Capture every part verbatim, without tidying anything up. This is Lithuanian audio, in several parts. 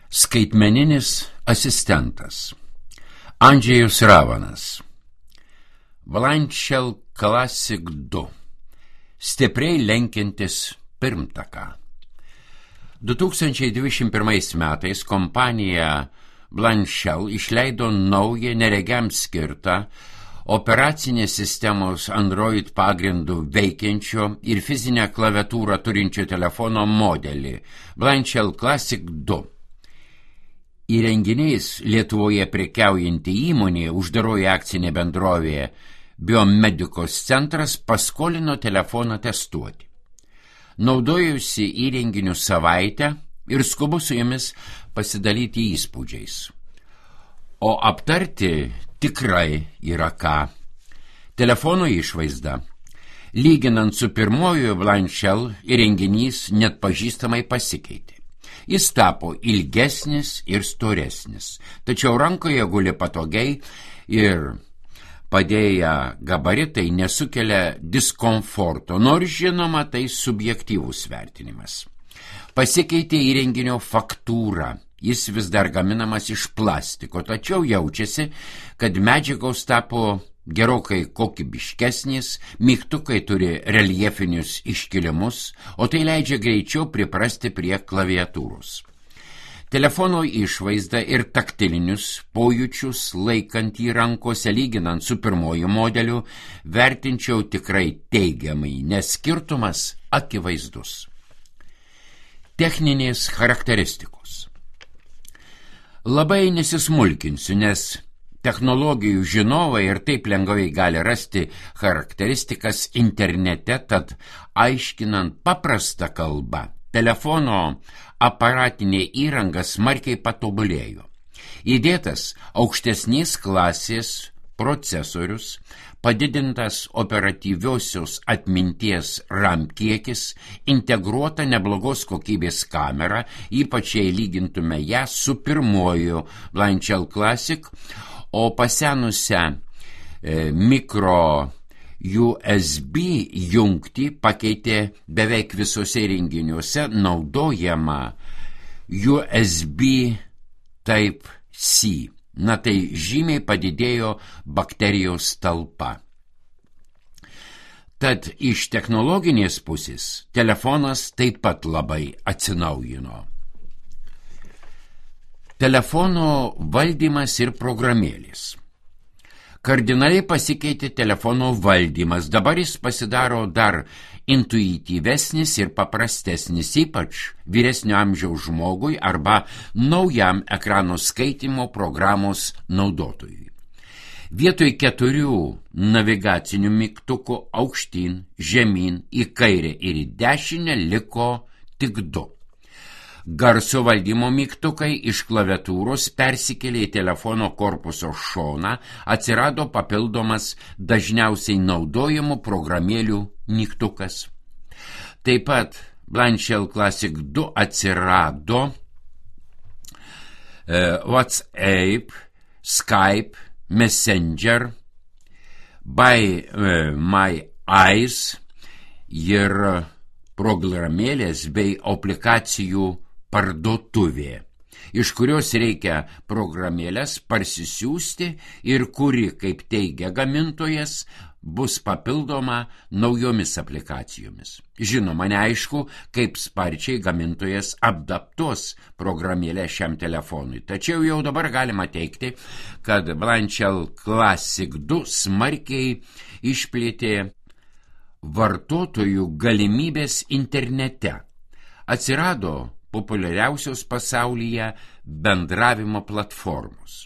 Skaitmeninis asistentas. Andžejus Ravanas. Blanchell Classic du. Stipriai lenkiantis pirmtaką. du tūkstančiai dvidešimt pirmais metais kompanija Blanchell išleido naują neregiam skirtą operacinės sistemos Android pagrindų veikiančio ir fizinę klaviatūrą turinčio telefono modelį Blanchell Classic du. Įrenginiais Lietuvoje prekiaujanti įmonė, uždaroji akcinė bendrovė Biomedikos centras, paskolino telefoną testuoti. Naudojusi įrenginių savaitę ir skubu su jomis pasidalyti įspūdžiais. O aptarti tikrai yra ką. Telefono išvaizda. Lyginant su pirmoju Blanchell, įrenginys net pažįstamai pasikeitė. Jis tapo ilgesnis ir storesnis, tačiau rankoje guli patogiai ir padėję gabaritai nesukelia diskomforto, nors žinoma tai subjektyvus vertinimas. Pasikeitė įrenginio faktūra, jis vis dar gaminamas iš plastiko, tačiau jaučiasi, kad medžiagos tapo gerokai kokybiškesnis, mygtukai turi reljefinius iškilimus, o tai leidžia greičiau priprasti prie klaviatūros. Telefono išvaizdą ir taktilinius pojūčius laikant jį rankose, lyginant su pirmoju modeliu, vertinčiau tikrai teigiamai, nes skirtumas akivaizdus. Techninės charakteristikos. Labai nesismulkinsiu, nes technologijų žinovai ir taip lengvai gali rasti charakteristikas internete, tad aiškinant paprastą kalbą, telefono aparatinė įranga smarkiai patobulėjo. Įdėtas aukštesnės klasės procesorius, padidintas operatyviosios atminties RAM kiekis, integruota neblogos kokybės kamera, ypač jei lygintume ją su pirmoju Blanchell Classic, o pasenusią e, mikro U S B jungtį pakeitė beveik visose įrenginiuose naudojama U S B Type-C. Na tai žymiai padidėjo bakterijos talpa. Tad iš technologinės pusės telefonas taip pat labai atsinaujino. Telefono valdymas ir programėlės. Kardinaliai pasikeitė telefono valdymas, dabar jis pasidaro dar intuityvesnis ir paprastesnis, ypač vyresnio amžiaus žmogui arba naujam ekrano skaitymo programos naudotojui. Vietoj keturių navigacinių mygtukų aukštyn, žemyn, į kairę ir į dešinę liko tik du. Garso valdymo mygtukai iš klaviatūros persikėlė į telefono korpuso šoną, atsirado papildomas dažniausiai naudojamų programėlių mygtukas. Taip pat Blanchell Classic du atsirado e, WhatsApp, Skype, Messenger, by e, My Eyes ir programėlės bei aplikacijų parduotuvė, iš kurios reikia programėlės parsisiųsti ir kuri, kaip teigia gamintojas, bus papildoma naujomis aplikacijomis. Žinoma, neaišku, kaip sparčiai gamintojas adaptuos programėlę šiam telefonui, tačiau jau dabar galima teigti, kad Blanchell Classic du smarkiai išplėtė vartotojų galimybės internete. Atsirado populiariausios pasaulyje bendravimo platformos.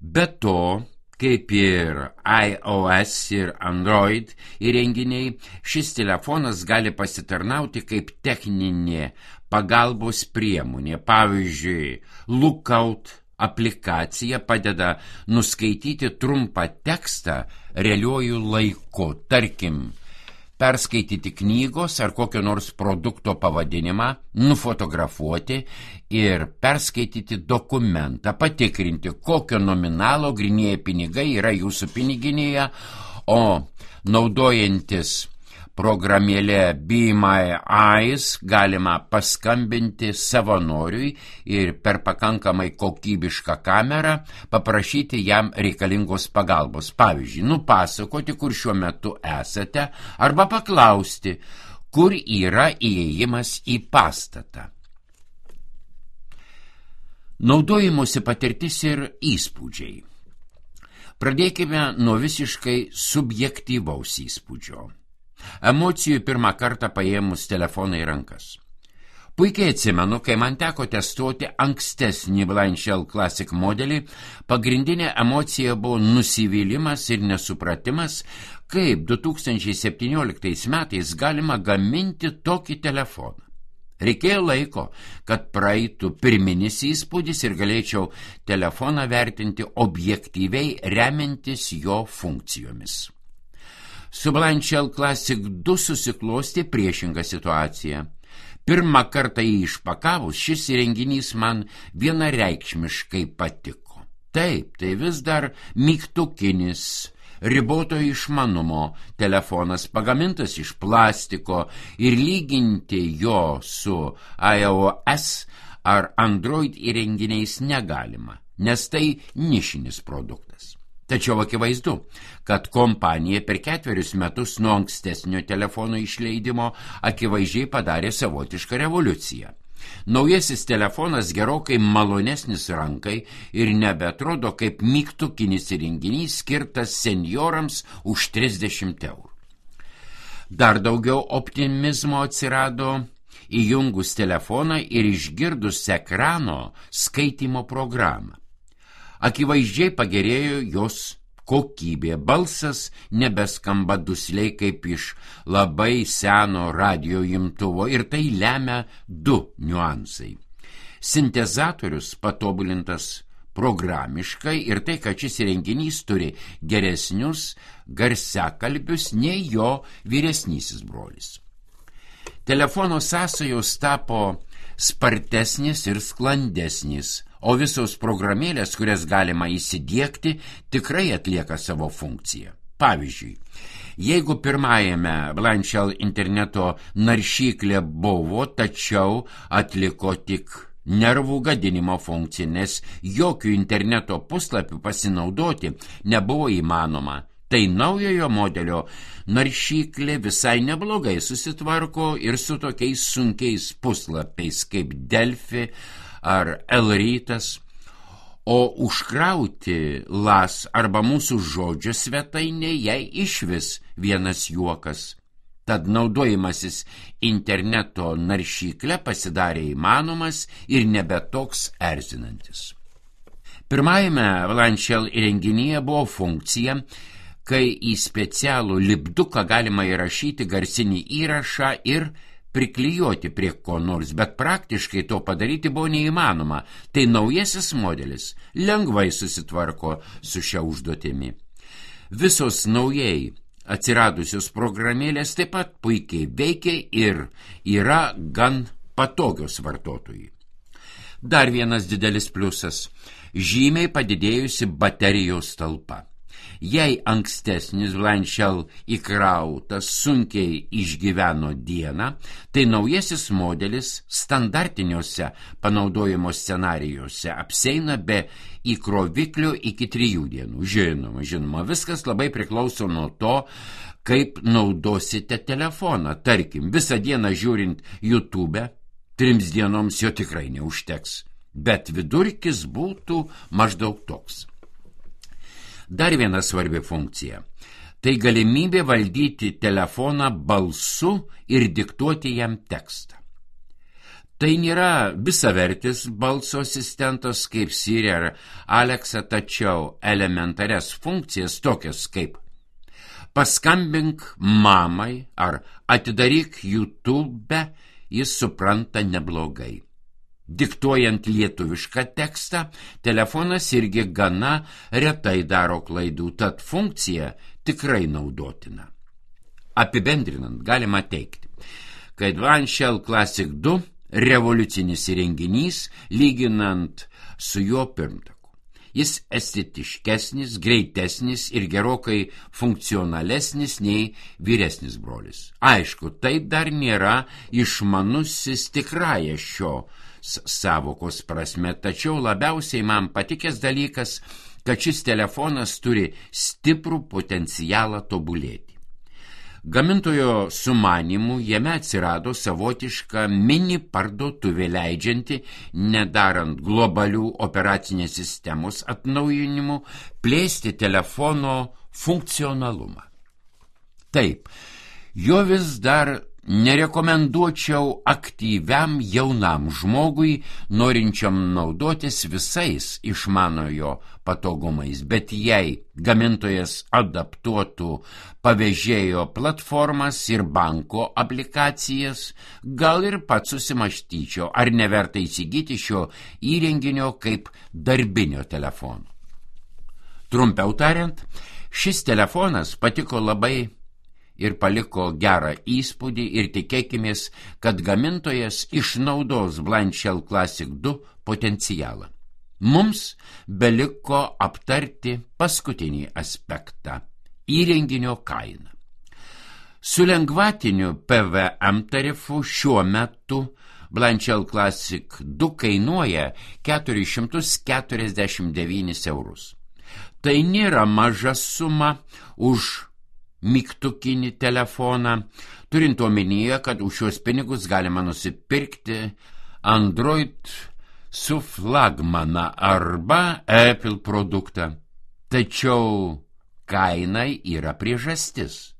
Be to, kaip ir iOS ir Android įrenginiai, šis telefonas gali pasitarnauti kaip techninė pagalbos priemonė. Pavyzdžiui, Lookout aplikacija padeda nuskaityti trumpą tekstą realiuoju laiku, tarkim, perskaityti knygos ar kokio nors produkto pavadinimą, nufotografuoti ir perskaityti dokumentą, patikrinti, kokio nominalo grynieji pinigai yra jūsų piniginėje, o naudojantis programėlė Be My Eyes galima paskambinti savanoriui ir per pakankamai kokybišką kamerą paprašyti jam reikalingos pagalbos. Pavyzdžiui, nupasakoti, kur šiuo metu esate, arba paklausti, kur yra įėjimas į pastatą. Naudojimosi patirtis ir įspūdžiai. Pradėkime nuo visiškai subjektyvaus įspūdžio. Emocijų pirmą kartą paėmus telefoną į rankas. Puikiai atsimenu, kai man teko testuoti ankstesnį Blind Shell Classic modelį, pagrindinė emocija buvo nusivylimas ir nesupratimas, kaip du tūkstančiai septynioliktais metais galima gaminti tokį telefoną. Reikėjo laiko, kad praeitų pirminis įspūdis ir galėčiau telefoną vertinti objektyviai remiantis jo funkcijomis. Su Blind Shell Classic du susiklosti priešinga situacija. Pirmą kartą jį išpakavus, šis įrenginys man vienareikšmiškai patiko. Taip, tai vis dar mygtukinis, riboto išmanumo telefonas, pagamintas iš plastiko, ir lyginti jo su iOS ar Android įrenginiais negalima, nes tai nišinis produktas. Tačiau akivaizdu, kad kompanija per ketverius metus nuo ankstesnio telefono išleidimo akivaizdžiai padarė savotišką revoliuciją. Naujasis telefonas gerokai malonesnis rankai ir nebeatrodo kaip mygtukinis įrenginys skirtas senjorams už trisdešimt eurų. Dar daugiau optimizmo atsirado įjungus telefoną ir išgirdus ekrano skaitymo programą. Akivaizdžiai pagerėjo jos kokybė, balsas nebeskamba dusliai kaip iš labai seno radijo imtuvo ir tai lemia du niuansai. Sintezatorius patobulintas programiškai ir tai, kad šis įrenginys turi geresnius garsiakalbius nei jo vyresnysis brolis. Telefono sąsajos tapo spartesnis ir sklandesnis, o visos programėlės, kurias galima įsidiegti, tikrai atlieka savo funkciją. Pavyzdžiui, jeigu pirmajame Blind Shell interneto naršyklė buvo, tačiau atliko tik nervų gadinimo funkciją, nes jokių interneto puslapių pasinaudoti nebuvo įmanoma, tai naujojo modelio naršyklė visai neblogai susitvarko ir su tokiais sunkiais puslapiais kaip Delfi ar Elrytas, o užkrauti las arba mūsų žodžio svetainė jai išvis vienas juokas. Tad naudojimasis interneto naršykle pasidarė įmanomas ir nebe toks erzinantis. Pirmajame Blind Shell įrenginyje buvo funkcija, kai į specialų lipduką galima įrašyti garsinį įrašą ir priklijuoti prie ko nors, bet praktiškai to padaryti buvo neįmanoma. Tai naujasis modelis lengvai susitvarko su šia užduotimi. Visos naujai atsiradusios programėlės taip pat puikiai veikia ir yra gan patogios vartotojui. Dar vienas didelis pliusas – žymiai padidėjusi baterijos talpa. Jei ankstesnis Blind Shell įkrautas sunkiai išgyveno dieną, tai naujasis modelis standartiniuose panaudojimo scenarijuose apseina be įkroviklio iki trijų dienų. Žinoma, žinoma, viskas labai priklauso nuo to, kaip naudosite telefoną. Tarkim, visą dieną žiūrint YouTube, trims dienoms jo tikrai neužteks, bet vidurkis būtų maždaug toks. Dar viena svarbi funkcija – tai galimybė valdyti telefoną balsu ir diktuoti jam tekstą. Tai nėra visavertis balso asistentas kaip Siri ar Alexa, tačiau elementarias funkcijas tokias kaip paskambink mamai ar atidaryk YouTube jis supranta neblogai. Diktuojant lietuvišką tekstą, telefonas irgi gana retai daro klaidų, tad funkcija tikrai naudotina. Apibendrinant, galima teikti, kad Blind Shell Classic du revoliucinis įrenginys lyginant su jo pirmtaku. Jis estetiškesnis, greitesnis ir gerokai funkcionalesnis nei vyresnis brolis. Aišku, tai dar nėra išmanusis tikrąją šio sąvokos prasme, tačiau labiausiai man patikęs dalykas, kad šis telefonas turi stiprų potencialą tobulėti. Gamintojo sumanymu jame atsirado savotiška mini parduotuvė leidžianti, nedarant globalių operacinės sistemos atnaujinimų, plėsti telefono funkcionalumą. Taip, jo vis dar nerekomenduočiau aktyviam jaunam žmogui, norinčiam naudotis visais išmanojo patogumais, bet jei gamintojas adaptuotų pavėžėjo platformas ir banko aplikacijas, gal ir pats susimąstyčiau, ar neverta įsigyti šio įrenginio kaip darbinio telefono. Trumpiau tariant, šis telefonas patiko labai ir paliko gerą įspūdį ir tikėkimės, kad gamintojas išnaudos Blind Shell Classic du potencialą. Mums beliko aptarti paskutinį aspektą – įrenginio kainą. Su lengvatiniu P V M tarifu šiuo metu Blind Shell Classic du kainuoja keturis šimtus keturiasdešimt devynis eurus. Tai nėra maža suma už mygtukinį telefoną, turint omenyje, kad už šios pinigus galima nusipirkti Android su flagmaną arba Apple produktą. Tačiau kainai yra priežastis.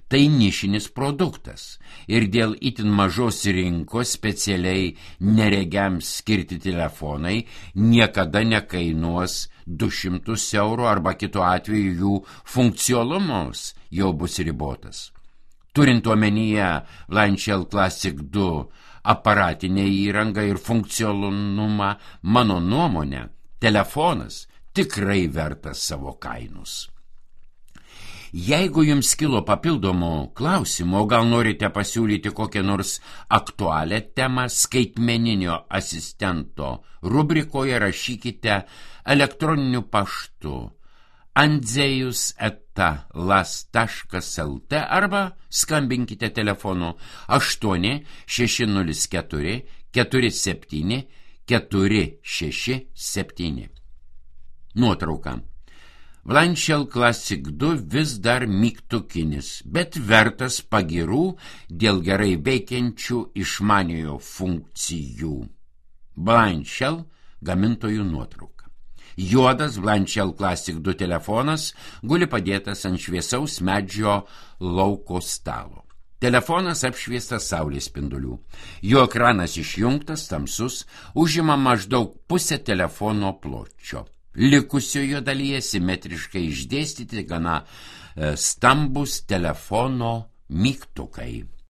Tai nišinis produktas ir dėl itin mažos rinkos specialiai neregiams skirti telefonai niekada nekainuos du šimtus eurų arba kitu atveju jų funkcionalumas jau bus ribotas. Turint omenyje Blind Shell Classic du aparatinę įrangą ir funkcionalumą, mano nuomonė, telefonas tikrai vertas savo kainos. Jeigu jums kilo papildomų klausimų, gal norite pasiūlyti kokią nors aktualią temą skaitmeninio asistento rubrikoje, rašykite elektroniniu paštu andzejus eta las taškas lt arba skambinkite telefonu aštuoni šeši nulis keturi keturi septyni keturi šeši septyni. Nuotrauka. Blind Shell Classic du vis dar mygtukinis, bet vertas pagirų dėl gerai veikiančių išmaniojo funkcijų. Blind Shell gamintojų nuotrauka. Juodas Blind Shell Classic du telefonas guli padėtas ant šviesaus medžio lauko stalo. Telefonas apšviestas saulės spindulių. Jo ekranas išjungtas, tamsus, užima maždaug pusę telefono pločio. Likusiojo dalyje simetriškai išdėstyti gana stambus telefono mygtukai.